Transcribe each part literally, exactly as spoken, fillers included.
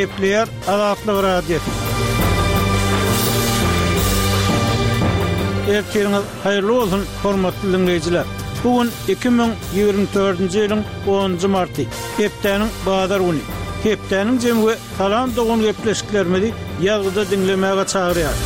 Gepleýär Azatlyk Radiosy. Ertiriňiz haýyrly bolsun, hormatly diňleýjiler! Bu gün iki müň ýigrimi dördünji ýylyň onunjy marty, hepdäniň bazar güni. Hepdäniň jemi we Salam dogan gepleşiklerimizi ýazgyda diňlemäge çagyrýar.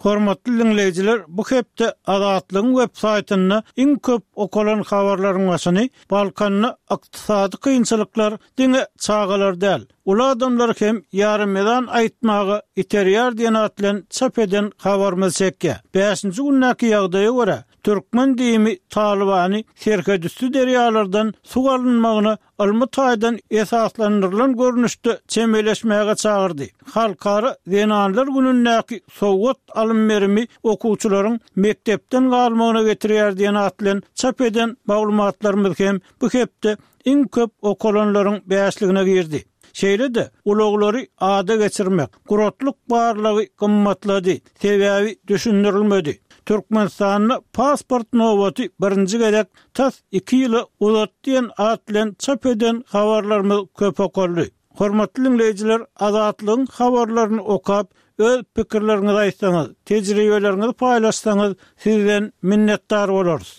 Hormatly diňleýjiler, bu hepde Azatlygyň web saýtynda iň köp okalan habarlaryň başyny Balkanda ykdysady kynçylyklar diňe çagalar däl, uly adamlary hem ýarym-ezan aýtmaga iterýär diýen at bilen çap eden habarymyz çekýär. Bäşinji gündäki ýagdaýa görä, türkmen DIM-i Talybany serhetüsti derýalardan suw alynmagyna ylmy taýdan esaslandyrylan görnüşde çemeleşmäge çagyrdy. Halkara zenanlar günündäki sowgat alym-berimi okuwçylaryň mekdepden galmagyna getirýär diýen at bilen çap eden maglumatlarymyz hem bu hepde iň köp okalanlaryň bäşligine girdi. Şeýle-de, ulaglary ada geçirmek, guratlyk barlagy gymmatlady, sebäbi düşündirilmedi. Türkmenistanda pasport nobaty birinji gezek tas iki ýyla uzatdy diýen at bilen çap eden habarlarymyz köp okaldy. Hormatly diňleýjiler, Azatlygyň habarlaryny okap, öz pikirleriňizi aýtsaňyz, tejribeleriňizi paýlaşsaňyz, sizden minnetdar bolarys.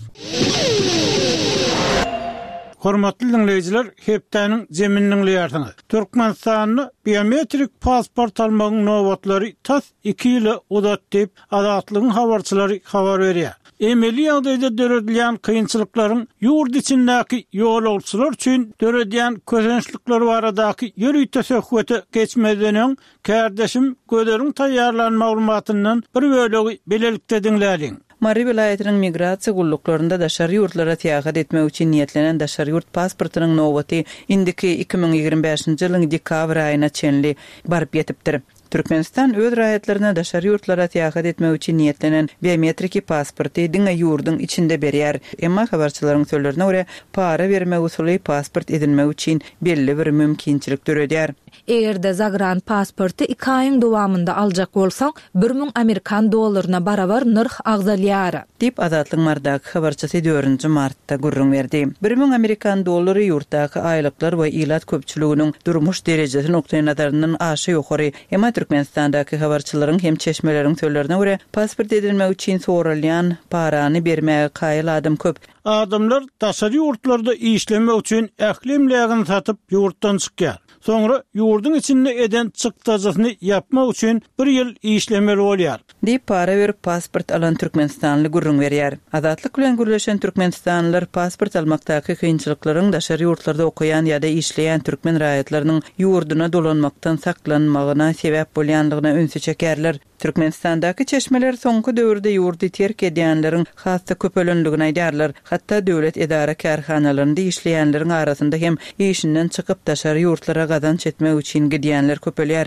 Hormatly diňleýjiler, hepdäniň jemini diňleýärsiňiz. Türkmenistanda biometrik pasport almagyň nobatlary tas iki ýyla uzatdy diýip, Azatlygyň habarçylary habar berýär. Emeli ýagdaýda döredilýän kynçylyklaryň ýurt içindäki ýolagçylar üçin döredýän kösençlikleri baradaky ýörite söhbete geçmezden öň, kärdeşim Gözeliň taýýarlan maglumatyndan bir bölegi bilelikde diňläliň. Mary welaýatynyň migrasiýa gulluklarynda daşary ýurtlara syýahat etmek üçin niýetlenen daşary ýurt pasportynyň nobaty indiki iki müň ýigrimi bäşinji ýylyň dekabr aýyna çenli baryp ýetipdir. Türkmenistan öz raýatlaryna daşary ýurtlara syýahat etmek üçin niýetlenen biometriki pasporty diňe ýurduň içinde berýär. Emma habarçylaryň sözlerine görä, para bermek usuly pasport edinmek üçin belli bir mümkinçilik döredýär. Eger-de zagran pasporty iki aýyň dowamynda aljak bolsaň, bir müň amerikan dollaryna barabar nyrh agzalýar. Diýip, Azatlygyň Marydaky habarçysy dördünji martda gürrüň berdi. Bir müň amerikan dollary ýurtdaky aýlyklar we ilat köpçüliginiň durmuş derejesi nukdaýnazaryndan aşa ýokary. Emma Türkmenistandaky habarçylaryň hem çeşmeleriň sözlerine görä, pasport edinmek üçin soralýan parany bermäge kaýyl adam köp. Adamlar daşary ýurtlarda işlemek üçin ähli emlägini satyp ýurtdan çykýar. Soňra ýurduň içinde eden çykdajysyny ýapmak üçin bir ýyl işlemeli bolýar. Diýip, para berip pasport alan türkmenistanly gürrüň berýär. Azatlyk bilen gürleşen türkmenistanlylar pasport almakdaky kynçylyklaryň daşary ýurtlarda okaýan ýa-da işleýän türkmen raýatlarynyň ýurduna dolanmakdan saklanmagyna sebäp bolýanlygyna ünsi çekerler. Türkmenistandaky çeşmeler soňky döwürde ýurdy terk edýänleriň has-da köpelendigini aýdýarlar. Hatda döwlet edara-kärhanalarynda işleýänleriň arasynda hem işinden çykyp daşary ýurtlara gazanç etmek üçin gidýänler köpelýär.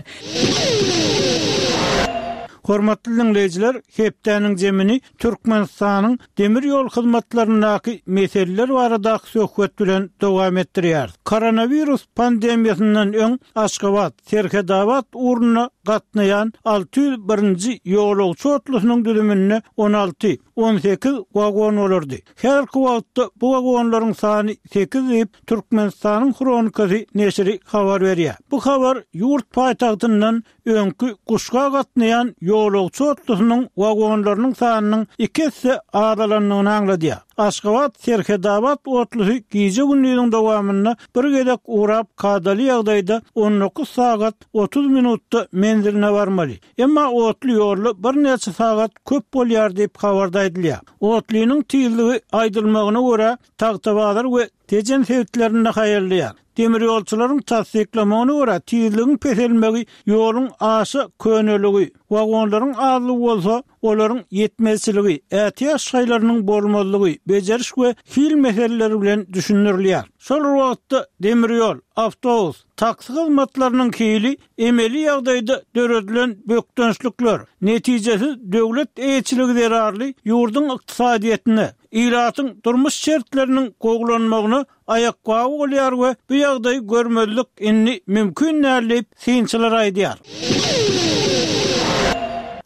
Hormatly diňleýjiler, hepdäniň jemini Türkmenistanyň demir ýol hyzmatlaryndaky meseleler baradaky söhbet bilen dowam etdirýäris. Koronawirus pandemiýasyndan öň Aşgabat, Serhedabat ugruna gatnaýan alty ýüz birinji ýolagçy otlusynyň düzüminde on alty, on sekiz wagon bolardy. Häzirki wagtda bu wagonlaryň sany sekiz diýip, Türkmenistanyň Hronikasy neşiri habar berýär. Bu habar ýurt paýtagtyndan öňki Guşga gatnaýan ýolagçy otlusynyň wagonlarynyň sanynyň iki esse azalandygyny aňladýar. Aşgabat Serhedabat otlusy gije-gündiziň dowamynda bir gezek ugrap kadaly ýagdaýda on dokuz sagat otuz minutda menziline barmaly. Emma otly ýolda birnäçe sagat köp bolýar diýip habarda aýdylýar. Otlynyň tizligi aýdylmagyna görä Tagtabazar we Tejen sebitlerinde haýallaýar. Demir ýolçularyň tassyklamagyna görä tizligiň peselmegi ýoluň aşa köneligi, wagonlaryň azlygy bolsa olaryň ýetmezçiligi, ätiýaç şaýlarynyň bolmazlygy, bejeriş we hil meseleleri bilen düşündirilýär. Şol bir wagtda demir ýol, awtobus, taksi hyzmatlarynyň hili emeli ýagdaýda döredilen bökdençlikler, netijesiz döwlet eýeçiligi zerarly ýurduň ykdysadyýetine, ilatyň durmuş şertleriniň gowulanmagyna aýakgaby bolýar we bu ýagdaýy görmezlik indi mümkin däl diýip synçylar aýdýar.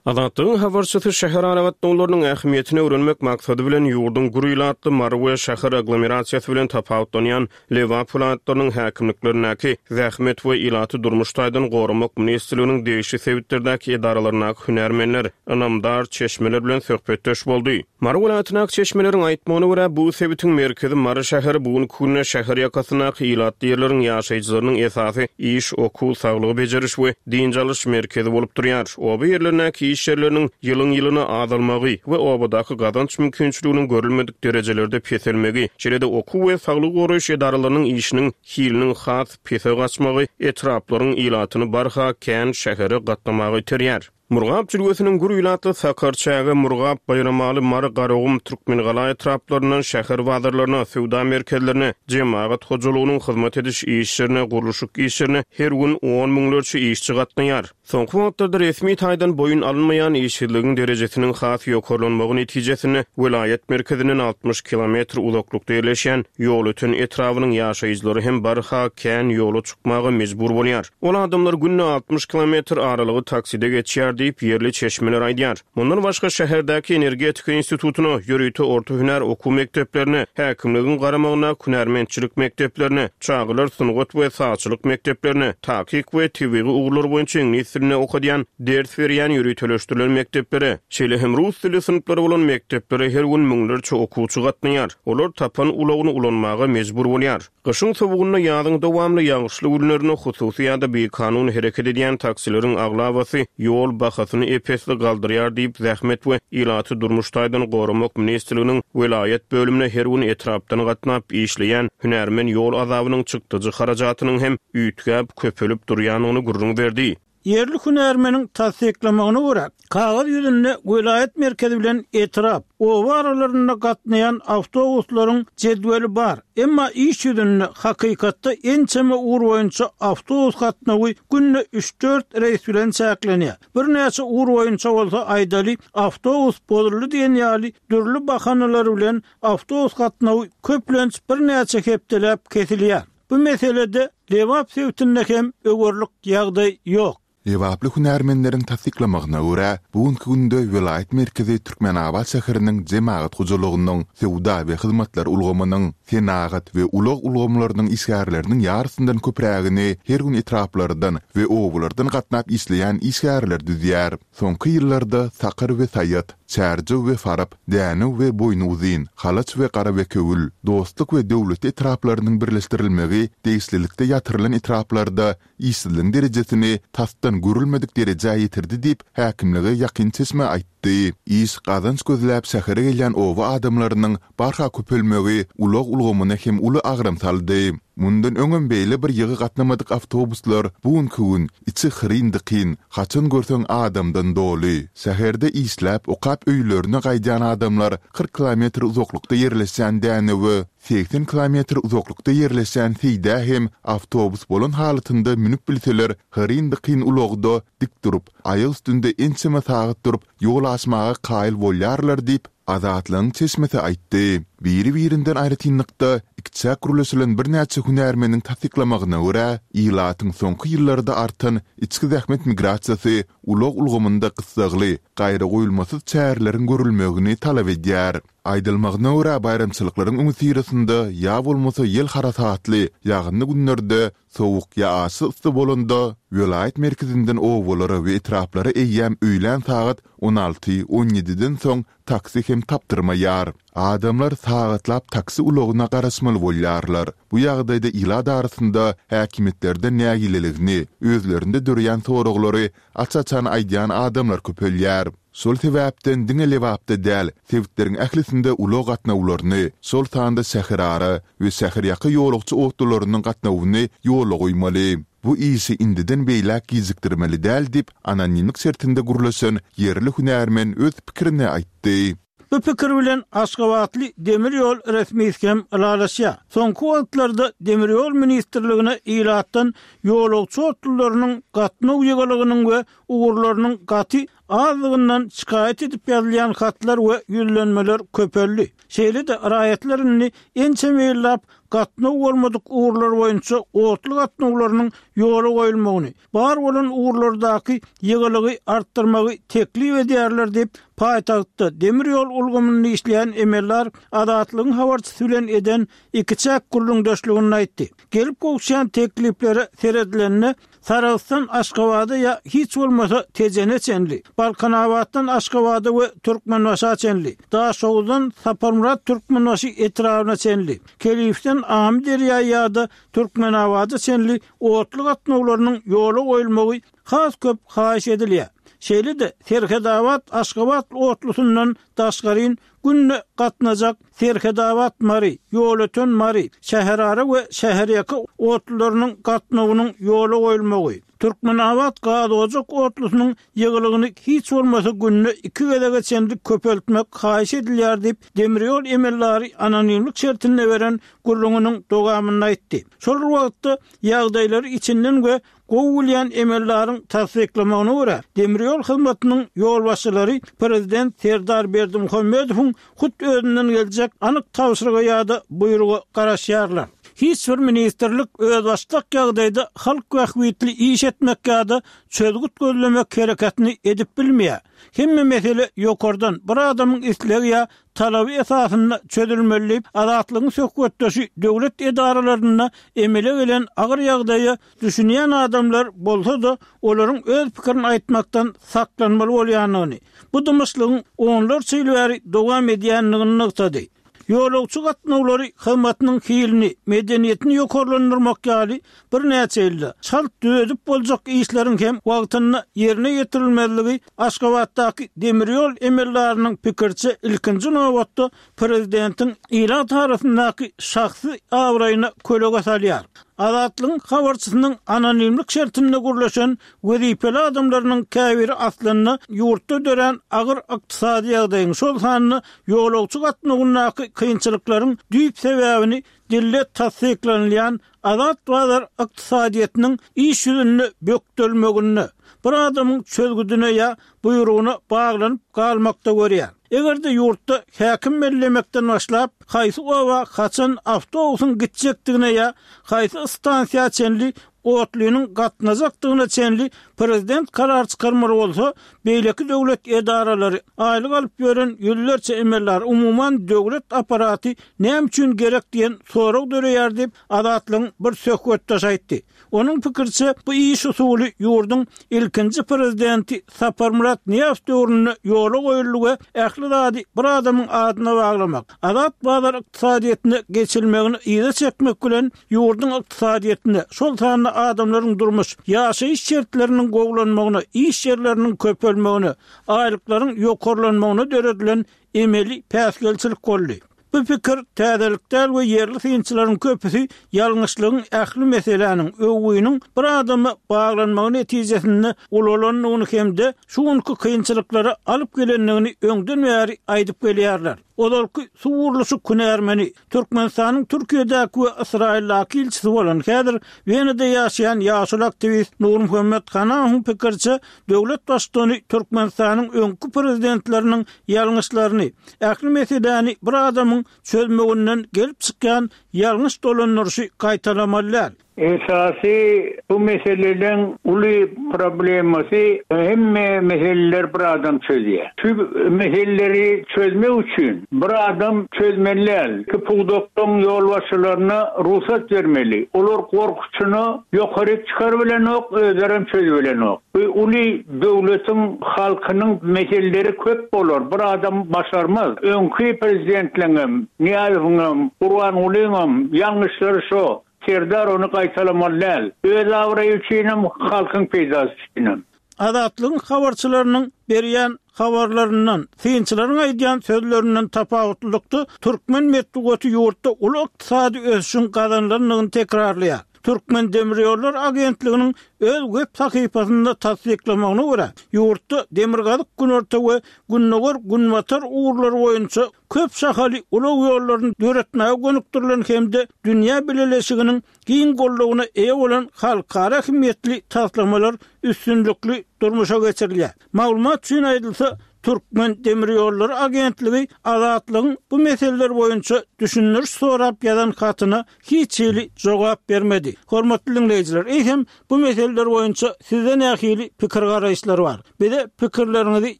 Azatlygyň habarçysy şäher aragatnawlarynyň ähmiýetini öwrenmek maksady bilen ýurduň gür ilatly Mary we şäher aglomerasiýasy bilen tapawutlanýan Lebap welaýatlarynyň häkimliklerindäki Zähmet we ilaty durmuş taýdan goramak ministrliginiň degişli sebitlerdäki edaralaryndaky hünärmenler, ynamdar çeşmeler bilen söhbetdeş boldy. Mary welaýatyndaky çeşmeleriň aýtmagyna görä, bu sebitiň merkezi Mary şäheri bu günki günde şäher ýakasyndaky ilatly ýerleriň ýaşaýjylarynyň esasy iş, okuw, saglygy bejeriş we dynç alyş merkezi bolup durýar. Oba ýerlerindäki iş ýerleriniň ýylyň-ýylyna azalmagy we obadaky gazanç mümkinçiliginiň görülmedik derejelerde peselmegi, şeýle-de okuw we saglygy goraýyş edaralarynyň işiniň hiliniň has pese gaçmagy etraplaryň ilatyny barha kän şähere gatnamaga iterýär. Murgap jülgesiniň gür ilatly Sakarçäge, Murgap, Baýramaly, Mary, Garagum, Türkmengala etraplaryndan şäher bazarlaryna, söwda merkezlerine, jemagat hojalygynyň hyzmat ediş işlerine, gurluşyk işlerine her gün on müňlerçe işçi gatnaýar. Soňky wagtlarda resmi taýdan boýun alynmaýan işsizligiň derejesiniň has ýokarlanmagy netijesinde welaýat merkezinden altmyş kilometr uzaklykda ýerleşýän Ýolöten etrabynyň ýaşaýjylary hem barha kän ýola çykmaga mejbur bolýar. Ol adamlar günde altmyş kilometr aralygy takside geçýär diýip ýerli çeşmeler aýdýar. Mundan başga şäherdäki energetika institutyna, ýörite orta hünär okuw mekdeplerine, häkimligiň garamagyna hünärmentçilik mekdeplerine, çagalar sungat we sazçylyk mekdeplerine, takyk we tebigy ugurlar boýunça iňlis dilinde okadýan, ders berýän ýöriteleşdirilen mekdeplere, şeýle hem rus dili synplary bolan mekdeplere her gün müňlerçe okuwçy gatnaýar. Olar tapan ulagyny ulanmaga mejbur bolýar. Gyşyň sowugynda ýazyň dowamly ýagyşly günlerinde hususy ýa-da bikanun hereket edýän taksileriň aglabasy ýol bahasyny epesli galdyrýar diýip Zähmet we ilaty durmuş taýdan goramak ministrliginiň welaýat bölümine her gün etrapdan gatnap işleýän hünärmen ýol azabynyň çykdyjy harajatynyň hem üýtgäp köpelip durýanyny gürrüň berdi. Ýerli hünärmeniň tassyklamagyna görä, kagyz ýüzünde welaýat merkezi bilen etrap, oba aralarynda gatnaýan awtobuslaryň jedweli bar. Emma iş ýüzünde hakykatda ençeme ugur boýunça awtobus gatnawy günde üç-dört reýs bilen çäklenýär. Birnäçe ugur boýunça bolsa aýdaly awtobus bozuldy diýen ýaly dürli bahanalar bilen awtobus gatnawy köplenç birnäçe hepdeläp kesilýär. Bu meselede Lebap sebitinde hem öwürlik ýagdaý ýok. Lebaply hünärmenleriň tassyklamagyna görä, bu günki günde welaýat merkezi Türkmenabat şäheriniň jemagat hojalygynyň, söwda we hyzmatlar ulgamynyň, senagat we ulag ulgamlarynyň işgärleriniň ýarysyndan köprägini her gün etraplardan we obalardan gatnap işleýän işgärler düzýär. Soňky ýyllarda Sakar we Saýat, Çärjew we Farap, Dänew we Boýnuzyn, Halaç we Garabekewül, Dostluk we Döwletli etraplarynyň birleşdirilmegi degişlilikde ýatyrylan etraplarda işsizligiň derejesini tasdan görülmedik derejä ýetirdi diýip häkimlige ýakyn çeşme aýtdy. Iş gazanç gözläp şähere gelýän oba adamlarynyň barha köpelmegi ulag ulgamyna hem uly agram saldy. Mundan öňem beýle bir ýygy gatnamadyk awtobuslar bu günki gün içi hyryn-dykyn, haçan görseň adamdan doly. Şäherde işläp, okap öýlerine gaýdýan adamlar kyrk kilometr uzaklykda ýerleşýän Dänewe, seksen kilometr uzaklykda ýerleşýän Seýdä hem awtobus bolan halatynda münüp bilseler, hyryn-dykyn ulagda dik durup, aýak üstünde ençeme sagat durup, ýol aşmaga kaýyl bolýarlar diýip, Azatlygyň çeşmesi aýtdy. Biri-birinden aýratynlykda ikiçäk gürleşilen birnäçe hünärmeniň tassyklamagyna görä, ilatyň soňky ýyllarda artan içki zähmet migrasiýasy ulag ulgamynda gyssagly, gaýragoýulmasyz çäreleriň görülmegini talap edýär. Aýdylmagyna görä, baýramçylyklaryň öňüsyrasynda ýa bolmasa ýel harasatly, ýagynly günlerde sowuk ýa aşa yssy bolanda welaýat merkezinden obalara we etraplara eýýäm öýlän sagat on alty, on ýediden soň taksi hem tapdyrmaýar. Adamlar sagatlap taksi ulagyna garaşmaly bolýarlar. Bu ýagdaýda ilat arasynda häkimiýetlerden nägileligini, özlerinde dörýän soraglary aç-açan aýdýan adamlar köpelýär. Şol sebäpden diňe Lebapda däl, sebitleriň ählisinde ulag gatnawlaryny, şol sanda şäherara we şäherýaka ýolagçy otlularynyň gatnawyny ýola goýmaly. Bu işi indiden beýläk gijikdirmeli däl diýip, anonimlik şertinde gürleşen ýerli hünärmen öz pikirini aýtdy. Bu pikir bilen Aşgabatly demir ýol resmisi hem ylalaşýar. Soňky wagtlarda demir ýol ministrligine ilatdan ýolagçy otlularynyň gatnaw ýygylygynyň we ugurlarynyň gaty Azlygyndan şikaýat edip ýazylýan hatlar we ýüzlenmeler köpeldi. Şeýle-de raýatlar indi ençeme ýyllap gatnaw bolmadyk ugurlar boýunça otly gatnawlarynyň ýola goýulmagyny, bar bolan ugurlardaky ýygylygy artdyrmagy teklip edýärler diýip, paýtagtda demir ýol ulgamynda işleýän emeldar Azatlygyň habarçysy bilen eden ikiçäk gürrüňdeşliginde aýtdy. Gelip gowuşýan tekliplere seredilende Sarahsdan Aşgabada ýa hiç bolmasa Tejene çenli, Balkanabatdan Aşgabada we Türkmenbaşa çenli, Daşoguzdan Saparmyrat Türkmenbaşy etrabyna çenli, Kelifden Amyderýa ýa-da Türkmenabada çenli otly gatnawlarynyň ýola goýulmagy has köp haýyş edilýär. Şeýle-de Serhedabat Aşgabat otlusyndan daşgaryn günde gatnajak Serhedabat Mary, Ýolöten Mary, Şäherara we Şäherýaka otlularynyň gatnawynyň ýola goýulmagy, Türkmenabat Gazojak otlusynyň ýygylygyny hiç bolmasa günde iki gezege çenli köpeltmek haýyş edilýär diýip, demir ýol emeldary anonimlik şertinde beren gürrüňiniň dowamynda aýtdy. Şol bir wagtda ýagdaýlary içinden we gowy bilýän emeldaryň tassyklamagyna görä, demir ýol hyzmatynyň ýolbaşçylary prezident Serdar Berdimuhamedowyň hut özünden geljek anyk tabşyryga ýa-da buýruga garaşýarlar. Hiç bir ministrlik özbaşdak ýagdaýda halk bähbitli iş etmek ýa-da çözgüt gözlemek hereketini edip bilmeýär. Hemme mesele ýokardan bir adamyň islegi ýa talaby esasynda çözülmeli diýip, Azatlygyň söhbetdeşi döwlet edaralarynda emele gelen agyr ýagdaýa düşünýän adamlar bolsa-da, olaryň öz pikirini aýtmakdan saklanmaly bolýandygyny, bu dymyşlygyň onlarça ýyl bäri dowam edýändigini nygtady. Ýolagçy gatnawlary hyzmatynyň hilini, medeniýetini ýokarlandyrmak ýaly birnäçe ýylda çalt düzedip boljak işleriň hem wagtynda ýerine ýetirilmezligi Aşgabatdaky demir ýol emeldarynyň pikiriçe ilkinji nobatda prezidentiň ilat arasyndaky şahsy abraýyna kölege salýar. Azatlygyň habarçysynyň anonimlik şertinde gürleşen wezipeli adamlarynyň käbiri aslynda ýurtda dörän agyr ykdysady ýagdaýyň, şol sanda ýolagçy gatnawyndaky kynçylyklaryň düýp sebäbini dilde tassyklanylýan azat bazar ykdysadyýetiniň iş ýüzünde bökdelmeginde, bir adamyň çözgüdine ýa buýrugyna baglanyp galmakda görýär. Eger-de ýurtda häkim bellemekden başlap, haýsy oba haçan awtobusyň gitjekdigine ýa haýsy stansiýa çenli otlynyň gatnajakdygyna çenli prezident karar çykarmaly bolsa, beýleki döwlet edaralary, aýlyk alyp ýören ýüzlerçe emeldar, umuman döwlet apparaty näme üçin gerek diýen sorag döreýär diýip, Azatlygyň bir söhbetdeşi aýtdy. Onuň pikiriçe, bu iş usuly ýurduň ilkinji prezidenti Saparmyrat Nyýazow döwründe ýola goýuldy we ähli zady bir adamyň adyna baglamak, azat bazar ykdysadyýetine geçilmegini yza çekmek bilen ýurduň ykdysadyýetine, şol sanda adamlaryň durmuş, ýaşaýyş şertleriniň gowulanmagyna, iş ýerleriniň köpelmegine, aýlyklaryň ýokarlanmagyna döredilen emeli päsgelçilik boldy. Bu pikir täzelik däl we ýerli synçylaryň köpüsi ýalňyşlygyň ähli meseläniň, öwgüniň bir adama baglanmagy netijesinde ulalandygyny hem-de şu günki kynçylyklara alyp gelendigini öňden bäri aýdyp gelýärler. Ozalky suw gurluşyk hünärmeni, Türkmenistanyň Türkiýedäki we Ysraýyldaky ilçisi bolan, häzir Wenada ýaşaýan ýaşuly aktiwist Nurmuhammet Hanamowyň pikiriçe, döwlet baştutany Türkmenistanyň öňki prezidentleriniň ýalňyşlaryny, ähli meseläni bir adamyň çözmeginden gelip çykýan ýalňyş dolandyryşy gaýtalamaly däl. Esasy bu meseleleň uly problemasy hemme meseleler bir adam çözýär. Şu meseleleri çözmek üçin bir adam çözmeli däl. Iki pudakdan ýolbaşçylaryna rugsat bermeli. Olar gorkusyna ýokary çykar bilenok, özlerem çözüp bilenok. Bu uly döwletiň halkynyň meseleleri köp bolar. Bir adam başarmaz. Öňki prezidentleňem, Nyýazowyňam, Gurbangulyňam ýalňyşlary şo. Serdar ony gaýtalamaly däl. Öz abraýy üçinem, halkyň peýdasy üçinem. Azatlygyň habarçylarynyň berýän habarlaryndan, synçylaryň aýdýan sözlerinden tapawutlylykda türkmen metbugaty ýurtda uly ykdysady ösüşiň gazanylandygyny tekrarlaýar. Türkmendemirýollary agentliginiň öz web sahypasynda tassyklamagyna görä, ýurtda demirgazyk-günorta we gündogar-günbatar ugurlary boýunça köp şahaly ulag ýollaryny döretmäge gönükdirilen hem-de dünýä bileleşiginiň giň goldawyna eýe bolan halkara ähmiýetli taslamalar üstünlikli durmuşa geçirilýär. Maglumat üçin aýdylsa, Türkmendemirýollary agentligi Azatlygyň bu meseleler boýunça düşündiriş sorap ýazan hatyna hiç hili jogap bermedi. Hormatly diňleýjiler, eýsem bu meseleler boýunça sizde nähili pikir-garaýyşlar bar? Bize pikirleriňizi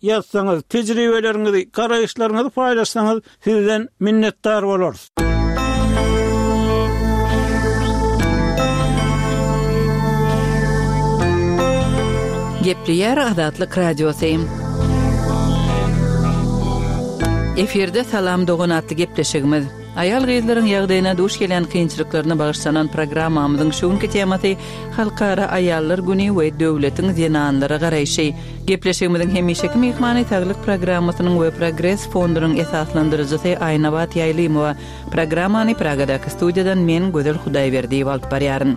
ýazsaňyz, tejribeleriňizi, garaýyşlaryňyzy paýlaşsaňyz sizden minnetdar bolarys. Gepleýär Azatlyk Radiosy. Efirde Salam dogan atly gepleşigimiz. Aýal-gyzlaryň ýagdaýyna duş gelýän kynçylyklaryna bagyşlanan programmamyzyň şu günki temasy Halkara aýallar güni we döwletiň zenanlara garaýşy. Gepleşigimiziň hemişeki myhmany Saglyk programmasynyň we Progres fondunyň esaslandyryjysy Aýnabat Ýaýlymowa. Programmany Pragadaky studiýadan men Gözel Hudaýberdiýewa alyp barýaryn.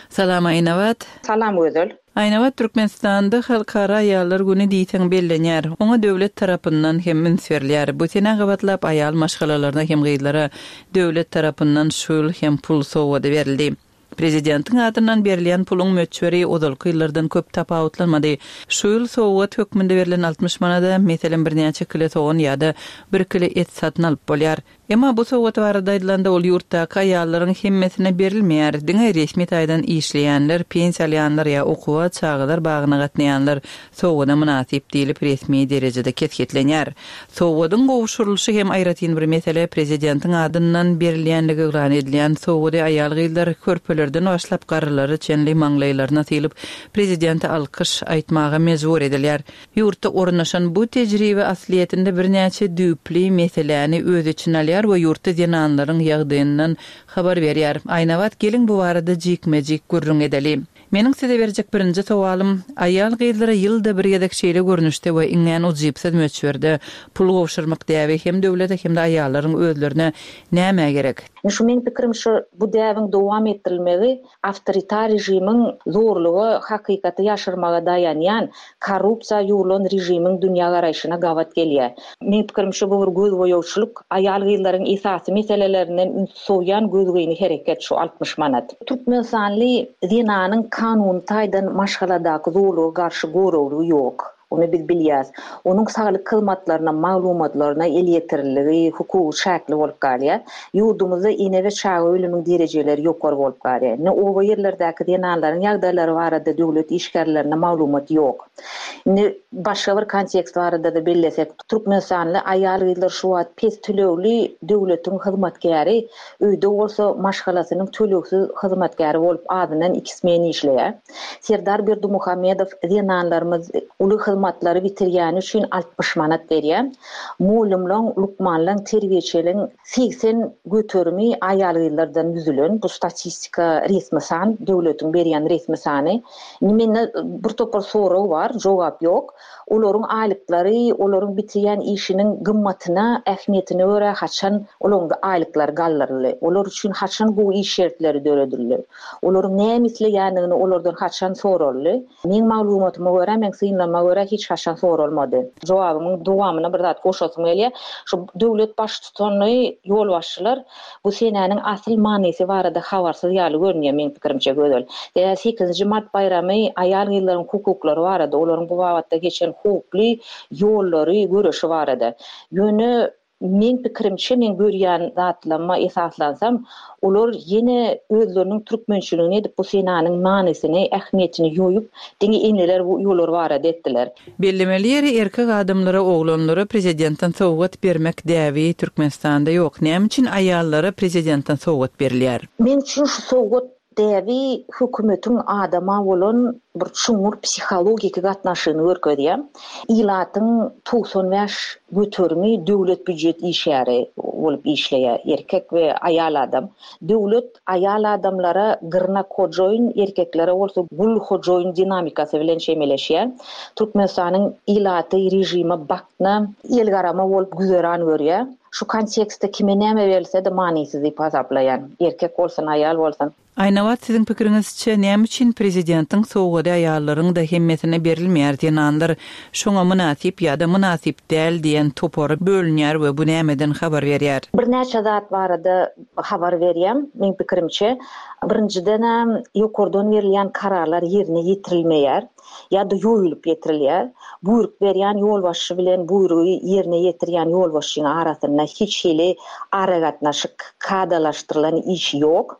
Salam Aýnabat. Salam Gözel. Aýnabat Türkmenistanda Halkara aýallar güni diýseň bellenýär. Oňa döwlet tarapyndan hem üns berilýär. Bu senä gabatlap aýal maşgalalaryna hem gyzlara döwlet tarapyndan şu ýyl hem pul sowgady berildi. Prezidentiň adyndan berilýän puluň möçberi ozalky ýyllardan köp tapawutlanmady. Şu ýyl sowgat hökmünde berlen altmyş manada, meselem, birnäçe kile sogan ýa-da bir kile et satyn alyp bolýar. Emma bu sowgat barada aýdylanda, ol ýurtdaky aýallaryň hemmesine berilmeýär. Diňe resmi taýdan işleýänler, pensiýa alýanlar ýa okuwa, çagalar bagyna gatnaýanlar sowgada mynasyp diýlip resmi derejede kesgitlenýär. Sowgadyň gowşurylyşy hem aýratyn bir mesele, prezidentiň adyndan berilýänligi yglan edilýän sowgady aýal-gyzlar körpelerden başlap garrylara çenli maňlaýlaryna sylyp, prezidente alkyş aýtmaga mejbur edilýär. Ýurtda ornaşan bu tejribe aslyýetinde birnäçe düýpli meseläni öz içine alýar we ýurtda zenanlaryň ýagdaýyndan habar berýär. Aýnabat, geliň bu barada jikme-jik gürrüň edeli. Meniň size berjek birinji sowalym, aýal-gyzlara ýylda bir gezek şeýle görnüşde we iňňän ujypsyz möçberde pul gowşurmak däbi hem döwlete hem-de aýallaryň özlerine nämä gerek? Indi şu meň pikirim şu bu däbiň dowam etdirilmegi awtoritar režimiň zorluga, hakykaty ýaşyrmaga daýanýan, korrupsiýa ýugrulan režimiň dünýägaraýşyna gabat gelýär. Meň pikirimçe bu bir gözboýagçylyk, aýal-gyzlaryň esasy meselelerinden üns sowýan gözgyny hereket şu altmyş manat. Türkmenistanly zenanyň kanuny taýdan maşgaladaky zorluga garşy goraglygy ýok. Ony biz bilýäs. Onuň saglyk hyzmatlaryna, maglumatlaryna elýeterliligi, hukugy çäkli bolup galýar. Ýurdumyzda ene we çaga ölümiň derejeleri ýokary bolup galýar. Indi oba ýerlerdäki zenanlaryň ýagdaýlary barada döwlet işgärlerine maglumat ýok. Indi başga bir kontekst barada-da bellesek, Türkmenistanly aýal-gyzlar şu wagt pes tölegli döwletiň hyzmatkäri, öýde bolsa maşgalasynyň tölegsiz hyzmatkäri bolup azyndan iki smen işleýär. Serdar Berdimuhamedow zenanlarymyz uly hyzmatlary bitirýäni üçin altmyş manat berýär. Mugallymlaryň, lukmanlaryň, terbiýeçileriň segsen göterimi aýal-gyzlardan düzülen. Bu statistika resmi san, döwletiň berýän resmi sany. Indi mende bir topar sorag bar, jogap ýok. Olaryň aýlyklary, olaryň bitirýän işiniň gymmatyna, ähmiýetine görä haçan olaryň aýlyklary galdyryldy. Olar üçin haçan gowy iş şertleri döredildi. Olaryň näme isleýändigini olardan haçan soraldy. Meň maglumatyma görä, meň synlama görä hiç haçan soralmady. Jogabymyň dowamyna bir zat goşasym gelýär. Şu döwlet baştutany ýolbaşçylar bu senäniň asyl manysy barada habarsyz ýaly görünýär meň pikirimçe Gözel. Sebäbi sekizinji mart baýramy aýal-gyzlaryň hukuklary barada, olaryň bu babatda geçen hukukly ýollary, göreşi barada. Ýöne meň pikirimçe, men görýän zatlama esaslansam, olar ýene özleriniň türkmençiligini edip bu senäniň manysyny, ähmiýetini ýoýup, diňe eneler bu ýollar barada etdiler. Bellemeli ýeri erkek adamlara, oglanlara prezidentden sowgat bermek däbi Türkmenistanda ýok. Näme üçin aýallara prezidentden sowgat berilýär? Men üçin şu sowgat däbi hökümetiň adama bolan bir çuňňur psihologiki gatnaşygyny görkezýär. Ilatyň togsan bäş göterimi döwlet býujet işgäri bolup işleýär, erkek we aýal adam. Döwlet aýal adamlara gyrnak hojaýyn, erkeklere bolsa gul hojaýyn dinamikasy bilen çemeleşýär. Türkmenistanyň ilaty režime bakna, el garama bolup güzeran görýär. Şu kontekstde kime näme berilse-de manysyz diýip hasaplaýan. Erkek bolsun, aýal bolsun. Aýnabat, siziň pikiriňizçe, näme üçin prezidentiň sowgady aýallaryň-da hemmesine berilmeýär, zenanlar şoňa mynasyp ýa-da mynasyp däl diýen topara bölünýär we bu nämeden habar berýär? Birnäçe zat barada habar berýär, meň pikirimçe. Birinjiden, ýokardan berilýän kararlar ýerine ýetirilmeýär ýa-da ýoýulyp ýetirilýär. Buýruk berýän ýolbaşçy bilen buýrugy ýerine ýetirýän ýolbaşçynyň arasynda hiç hili aragatnaşyk kadalaşdyrylan iş ýok.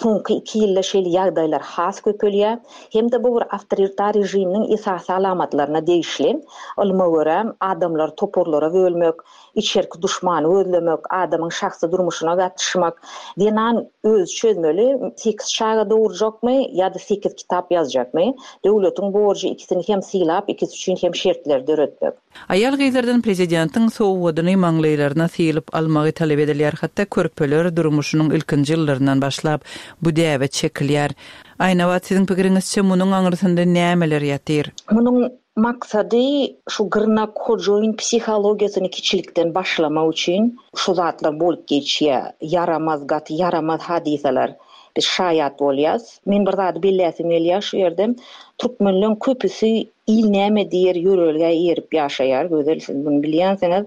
Soňky iki ýylda şeýle ýagdaýlar has köpelýär. Hem-de bu bir awtoritar režiminiň esasy alamatlaryna degişli. Ylma görä, adamlary toparlara bölmek, içerki duşmany gözlemek, adamyň şahsy durmuşyna gatyşmak, zenan öz çözmeli, sekiz çaga dogurjakmy ýa-da sekiz kitap ýazjakmy? Döwletiň borjy ikisini hem sylap, ikisi üçin hem şertler döretmek. Aýal-gyzlardan prezidentiň sowgadyny maňlaýlaryna sylyp almagy talap edilýär, hatda körpeler durmuşynyň ilkinji ýyllaryndan başlap bu däbe çekilýär. Aýnabat, siziň pikiriňizçe munuň aňyrsynda nämeler ýatyr? Munuň maksady şu gyrnak hojaýyn psihologiýasyny kiçilikden başlamak üçin şu zatlar bolup geçýär. Ýaramaz, gaty ýaramaz hadysalar. Biz şaýat bolýas. Men bir zady belläsim gelýär şu ýerde. Türkmenleň köpüsi il näme diýer ýörelgä eýerip ýaşaýar. Gözel, siz bunu bilýänsiňiz.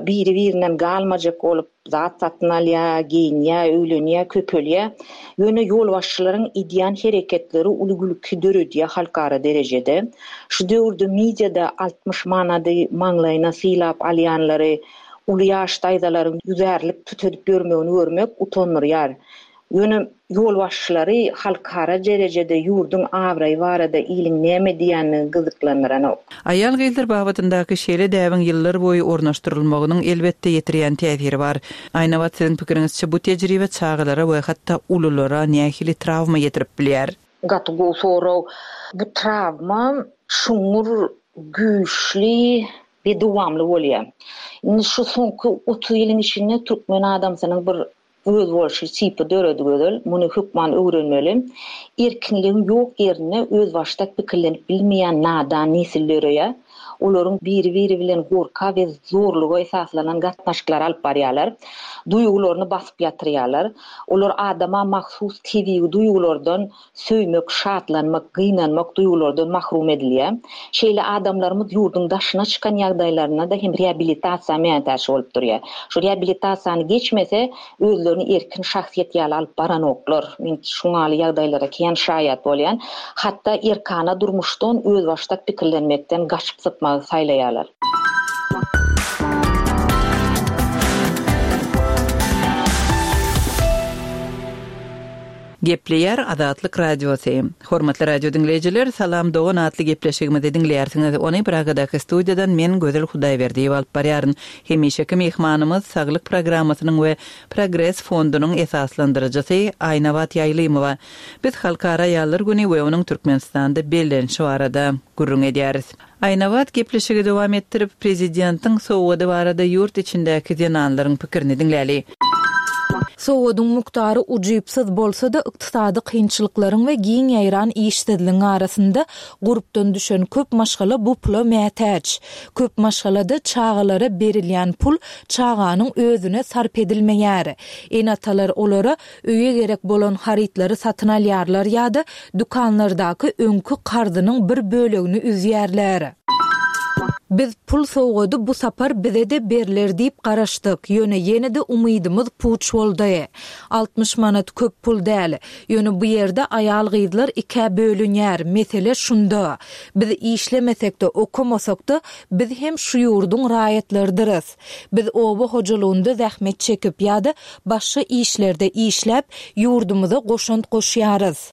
Biri-birinden galmajak bolup zat satyn alýar, geýinýär, öýlenýär, köpelýär. Ýöne ýolbaşçylaryň edýän hereketleri uly gülki döredýär halkara derejede. Şu döwürde mediada altmyş manady maňlaýyna sylap alýanlary, uly ýaş daýzalaryň ýüzärlik tütedip ýörmegini görmek utandyrýar. Ýöne ýolbaşçylary halkara derejede ýurduň abraýy barada iliň näme diýenini gyzyklandyranok. Aýal-gyzlar babatyndaky şeýle däbiň ýyllar boýy ornaşdyrylmagynyň elbetde ýetirýän täsiri bar. Aýnabat, siziň pikiriňizçe bu tejribe çagalara we hatda ululara nähili trawma ýetirip bilýär? Gaty gowy sorag. Bu trawma çuňňur, güýçli we dowamly bolýar. Indi şu soňky otuz ýylyň içinde türkmen adamsynyň bir öz bolşy tipi döredi gözel, muny hökman öwrenmeli. Erkinligiň ýok ýerinde öz başdak pikirlenip bilmeýän nadan nesil döreýär. Olaryň biri-biri bilen gorka we zorluga esaslanan gatnaşyklar alyp barýarlar. Duýgularyny basyp ýatyrýarlar. Olar adama mahsus tebigy duýgulardan söýmek, şatlanmak, gynanmak duýgulardan mahrum edilýär. Şeýle adamlarymyz ýurduň daşyna çykan ýagdaýlarynda da hem rehabilitasiýa mätäç bolup durýar. Şu rehabilitasiýany geçmese özlerini erkin şahsyýet ýaly alyp baranoklar. Men şuňaly ýagdaýlara kän şaýat bolýan. Hatda erkana durmuşdan öz başdak pikirlenmekden gaçyp sypmagy saýlaýarlar. Gepleýär Azatlyk Radiosy. Hormatly radio diňleýjiler, Salam Dogan atly gepleşigimizi diňleýärsiňiz. Ony Pragadaky studiýadan men Gözel Hudaýberdiýewa alyp barýaryn. Hemişeki myhmanymyz Saglyk programmasynyň we Progres fondunyň esaslandyryjysy Aýnabat Ýaýlymowa. Biz Halkara aýallar güni we onuň Türkmenistanda bellenişi barada gürrüň edýäris. Aýnabat gepleşigi dowam etdirip, prezidentiň sowgady barada ýurt içindäki zenanlaryň pikirini diňläli. Sowgadyň mukdary ujypsyz bolsa-da, ykdysady kynçylyklaryň we giň ýaýran işsizligiň arasynda gurpdan düşen köp maşgala bu pula mätäç. Köp maşgalada çagalara berilýän pul çaganyň özüne sarp edilmeýär. Ene-atalar olara öýe gerek bolan harytlary satyn alýarlar ýa-da dükanlardaky öňki karzynyň bir bölegini üzýärler. Biz pul sowgady bu sapar bize-de berler diýip garaşdyk, ýöne ýene-de umydymyz puç boldy. Altmyş manat köp pul däl, ýöne bu ýerde aýal-gyzlar ikä bölünýär, mesele şunda. Biz işlemesek-de, okamasak-da, biz hem şu ýurduň raýatlarydyrys. Biz oba hojalygynda zähmet çekip ýa-da başga işlerde işläp, ýurdumyza goşant goşýarys.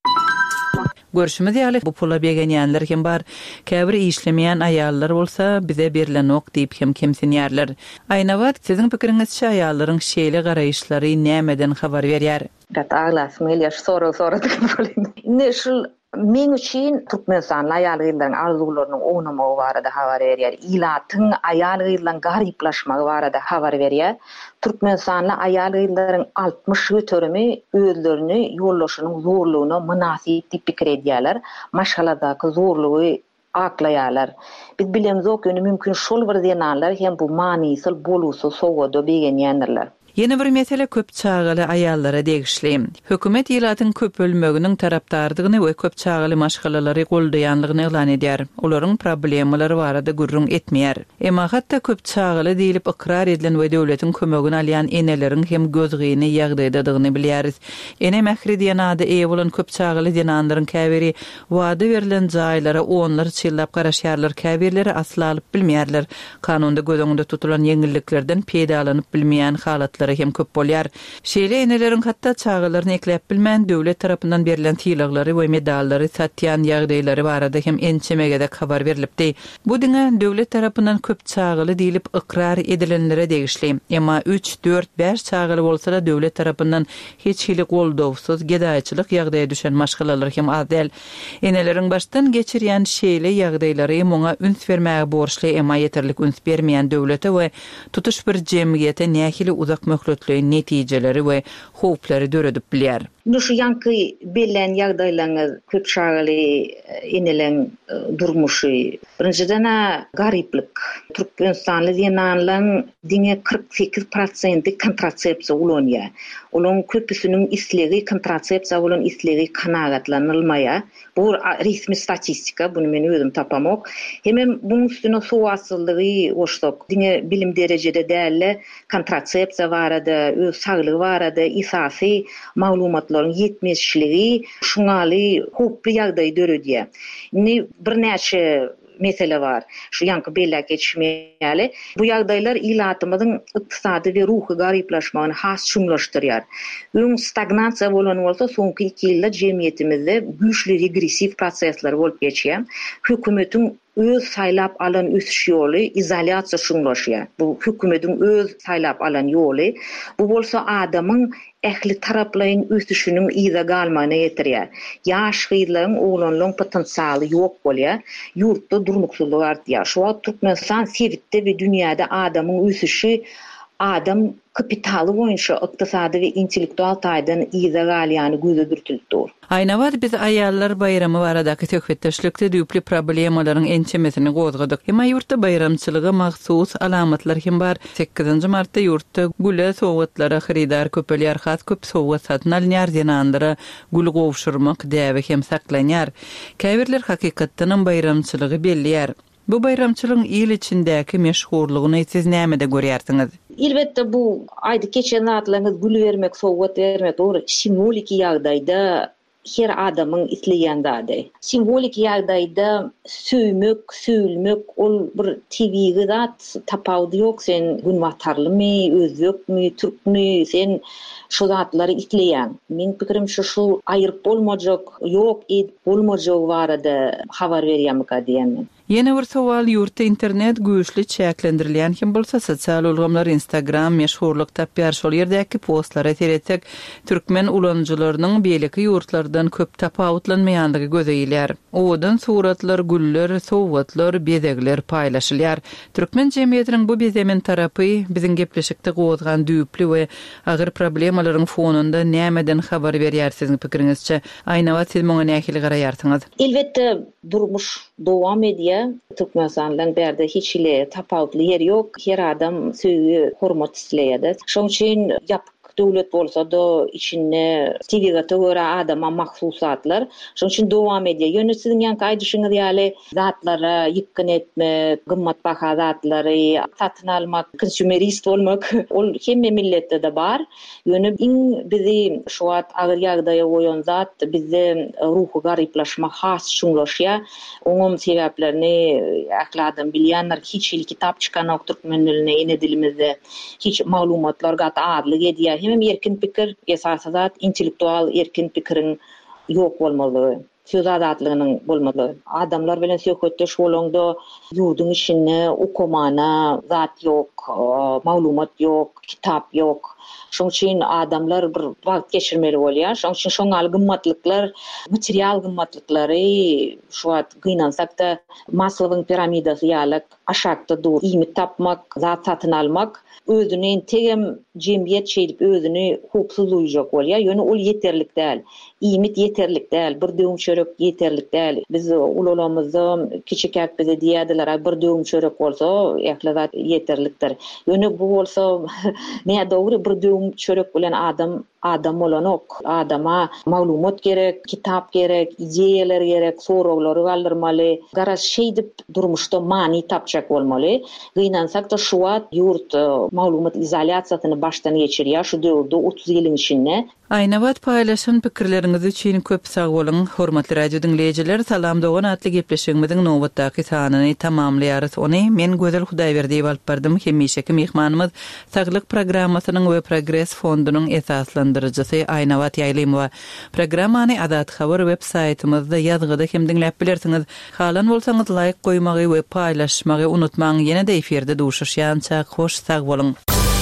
Görşümiz ýaly, bu pula begenýänler hem bar. Käbir işlemeýän aýallar bolsa bize berilenok diýip hem kemsinýärler. Aýnabat, siziň pikiriňizçe aýallaryň şeýle garaýyşlary nämeden habar berýär? Gaty aglasym gelýär, şu soragy soradyk bolýan. Indi şul meň üçin Türkmenistanly aýal-gyzlaryň arzuwlarynyň ownamagy barada habar berýär. Ilatyň aýal-gyzlaryň garyplaşmagy barada habar berýär. Türkmenistanly aýal-gyzlaryň altmyş göterimi özlerini ýoldaşynyň zorlugyna mynasyp diýip pikir edýärler. Maşgaladaky zorlugy aklaýarlar. Biz bilemzok, ýöne mümkin şol bir zenanlar hem bu manysyz bolgusyz sowgada begenýändirler. Ýene bir mesele köp çagaly aýallara degişli. Hökümet ilatyň köpelmeginiň tarapdardygyny we köp çagaly maşgalalary goldaýanlygyny yglan edýär. Olaryň problemalary barada gürrüň etmeýär. Emma hatda köp çagaly diýlip ykrar edilen we döwletiň kömegini alýan eneleriň hem gözgyny ýagdaýdadygyny bilýäris. Ene mähri diýen ada eýe bolan köp çagaly zenanlaryň käbiri wada berlen jaýlara onlarça ýyllap garaşýarlar, käbirleri asla alyp bilmeýärler. Kanunda göz öňünde tutulan ýeňilliklerden peýdalanyp bilmeýän halatlary hem köp bolýar. Şeýle eneleriň hatda çagalaryny ekläp bilmän döwlet tarapyndan berlen sylaglary we medallary satýan ýagdaýlary barada hem ençeme gezek habar berilipdi. Bu diňe döwlet tarapyndan köp çagaly diýlip ykrar edilenlere degişli. Emma üç, dört, bäş çagaly bolsa da döwlet tarapyndan hiç hili goldawsyz gedaýçylyk ýagdaýa düşen maşgalalar hem az däl. Eneleriň başdan geçirýän şeýle ýagdaýlary muňa üns bermäge borçly, emma ýeterlik üns bermeýän döwlete we tutuş bir jemgyýete nähili uzak möhletleýin netijeleri we howplary döredip bilýär. Indi şu ýanky bellän ýagdaýlaryňyz köp çagaly eneleň durmuşy. Birinjiden-ä garyplyk. Türkmenistanly zenanlaryň diňe kyrk sekiz prosenti kontrasepsiýa ulanýar. Olaryň köpüsiniň islegi kontrasepsiýa bolan islegi kanagatlanylmaýar. Bu resmi statistika, bunu men özüm tapamok. Hemem buň üstüne sowatsyzlygy goşsak, diňe bilim derejede däl-de kontrasepsiýa barada, öz saglygy barada esasy maglumatlaryň ýetmezçiligi şuňaly howply ýagdaýy döredýär. Indi birnäçe mesele bar. Şu ýanky belläp geçmeýäli. Bu ýagdaýlar ilatymyzyň ykdysady we ruhy garyplaşmagyny has çuňlaşdyrýar. Öň stagnasiýa bolan bolsa, soňky iki ýylda jemgyýetimizde güýçli regressiw prosesler bolup geçýär. Hökümetiň öz saýlap alan ösüş ýoly izolýasiýa çuňlaşýar. Bu hökümetiň öz saýlap alan ýoly. Bu bolsa adamyň ähli taraplaýyn ösüşiniň yza galmagyna getirýär. Ýaş gyzlaryň, oglanlaryň potensialy ýok bolýar. Ýurtda durnuksyzlyk artýar. Şu wagt Türkmenistan sebitde we dünýäde adamyň ösüşi adam kapitaly boýunça ykdysady we intellektual taýdan yza galýany göze dürtülip dur. Aýnabat biz aýallar baýramy baradaky söhbetdeşlikde düýpli problemalaryň ençemesini gozgadyk. Emma ýurtda baýramçylyga mahsus alamatlar hem bar. Sekizinji martda ýurtda güle sowgatlara hyrydar köpelýär, has köp sowgat satyn alynýar, zenanlara gül gowşurmak däbi hem saklanýar. Käbirler hakykatdanam baýramçylygy belleýär. Bu baýramçylygyň il içindäki meşhurlygyny siz nämede görýärsiňiz? Elbetde bu aýdyp geçen zatlaryňyz gül bermek, sowgat bermek dogry simwoliki ýagdaýda her adamyň isleýän zady. Simwoliki ýagdaýda söýmek, söýülmek ol bir tebigy zat, tapawudy ýok. Sen günbatarlymy, özbekmi, türkmi, sen şu zatlary isleýän. Meň pikirim şu, şu aýryp bolmajak, ýok edip bolmajagy barada habar berýärmika diýen men. Ýene bir sowal, ýurtda internet güýçli çäklendirilýän hem bolsa sosial ulgamlar Instagram meşhurlyk tapýar. Şol ýerdäki postlara seretsek, türkmen ulanyjylarynyň beýleki ýurtlardan köp tapawutlanmaýandygy göze ilýär. Owadan suratlar, güller, sowgatlar, bezegler paýlaşylýar. Türkmen jemgyýetiniň bu bezemen tarapy biziň gepleşikde gozgan düýpli we agyr problemalaryň fonunda nämeden habar berýär siziň pikiriňizçe? Aýnabat, siz muňa nähili garaýarsyňyz? Elbetde durmuş dowam edýär. Türkmenistandan bärde hiç hili tapawutly ýer ýok. Her adam söýgi, hormat isleýär. Şonuň üçin ýapyk döwlet bolsa da içinde tebigata görä adama mahsus zatlar. Şonuň üçin dowam edýär. Ýöne siziň ýanky aýdyşyňyz ýaly zatlara ýykgyn etmek, gymmat baha zatlary satyn almak, konsumerist bolmak ol hemme milletde de bar. Ýöne iň bizi şu wagt agyr ýagdaýa goýan zat bizde ruhy garyplaşma has çuňlaşýar. Oňam sebäplerini ähli adam bilýänler. Hiç hili kitap çykanok türkmen diline, ene dilimizde. Hiç maglumatlar gaty azlyk edýär. Hemem erkin pikir, esasy zat intellektual erkin pikiriň ýok bolmalygy, söz azatlygynyň bolmalygy. Adamlar bilen söhbetdeş bolanda ýurduň içinde okumana zat ýok, maglumat ýok, kitap ýok. Şoň üçin adamlar bir wagt geçirmeli bolýar. Şoň üçin şoň ýaly gymmatlyklar, material gymmatlyklary şu wagt gynansak-da Maslowyň piramidasy ýaly aşakda dur. Iýmit tapmak, zat satyn almak, özüni entegem jemgyýet şeýdip özüni howpsuz duýjak bolýar. Ýöne ol ýeterlik däl. Iýmit ýeterlik däl, bir döwüm çörek ýeterlik däl. Biz ulalamyzda kiçikäk bize diýerdiler, "Ay bir döwüm çörek bolsa, ähli zat ýeterlikdir." Ýöne bu bolsa nädogry bir döwüm çörek bilen adam adam bolanok. Adama maglumat gerek, kitap gerek, ideýalar gerek, soraglary galdyrmaly. Garaz şeýdip durmuşda many tapjak bolmaly. Gynansak-da şu wagt ýurt e, maglumat izolýasiýasyny başdan geçirýär şu döwürde otuz ýylyň içinde. Aýnabat paýlaşan pikirleriňiz üçin köp sag boluň. Hormatly radio diňleýjiler, Salam dogan atly gepleşigimiziň nobatdaky sanyny tamamlaýarys. Ony men Gözel Hudaýberdiýewa alyp bardym. Hemişeki myhmanymyz Saglyk programmasynyň we Progres fondunyň esaslandyryjysy Aýnabat Ýaýlymowa. Programmany Azat Habar web saýtymyzda ýazgyda hem diňläp bilersiňiz. Halan bolsaňyz laýk goýmagy we paýlaşmagy unutmaň. Ýene-de efirde duşuşýança hoş sag boluň.